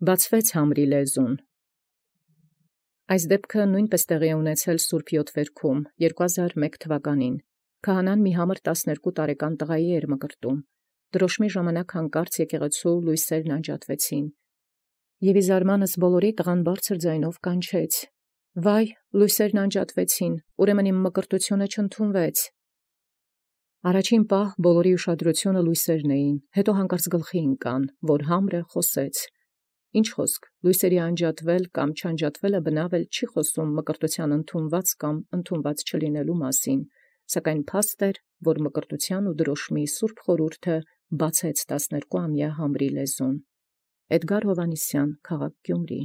Բացվեց համրի լեզուն։ Այս դեպքը նույնպես տեղի է ունեցել Սուրբ Յոթվերքում 2001 թվականին։ Քահանան մի համր 12 տարեկան տղայի էր մկրտում։ Դրոշմի ժամանակ հանկարծ եկեղեցու լույսերն անջատվեցին։ Եւ իզարմանս բոլորի տղան բարձր ձայնով կանչեց. «Վայ, լույսերն անջատվեցին, ուրեմն իմ մկրտությունը չընդունվեց»։ Առաջին պահ բոլորի ուշադրությունը լույսերն էին, հետո հանկարծ գլխի ընկան, որ համրը խոսեց։ Ինչ խոսք, լույսերի անջատվել կամ չանջատվելը բնաւ էլ չի խոսում մկրտութեան ընդունված կամ ընդունված չլինելու մասին, սակայն փաստ էր, որ մկրտութեան ու դրոշմի սուրբ խորհուրդը բացեց 12-ամյա համրի լեզուն։ Էդգար Հովհաննիսյան, քաղաք Գյումրի։